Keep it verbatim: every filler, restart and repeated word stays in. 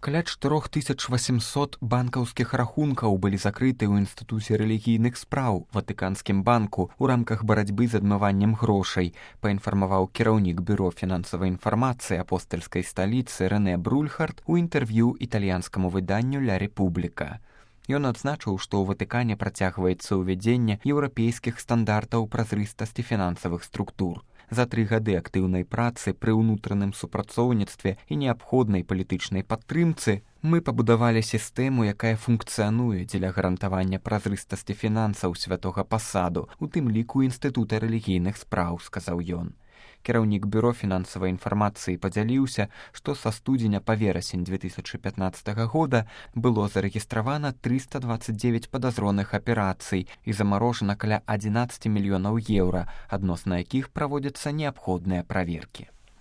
Каля чатырох тысяч васьмісот банкаўскіх рахункаў былі закрыты ў інстытуце рэлігійных спраў Ватыканскім банку ў рамках барацьбы з адмываннем грошай, паінфармаваў кіраўнік бюро фінансавай інфармацыі апостальскай сталіцы Рэнэ Брульхард у інтэрв'ю італьянскаму выданню «Ля Рэпубліка». Ён адзначыў, што ў Ватыкане працягваецца ўвядзенне еўрапейскіх стандартаў празрыстасці фінансавых структур. За тры гады актыўнай працы пры ўнутраным супрацоўніцтве і неабходнай палітычнай падтрымцы мы пабудавалі сістэму, якая функцыянуе дзеля гарантавання празрыстасці фінансаў святога пасаду, у тым ліку інстытута рэлігійных спраў, сказаў ён. Кіраўнік бюро фінансавай інфармацыі падзяліўся, што са студзеня па верасень две тысячы пятнаццатага года было зарэгістравана трыста дваццаць дзевяць падазроных аперацый і замарожана каля адзінаццаць мільёнаў еўра, адносна якіх праводзяцца неабходныя праверкі.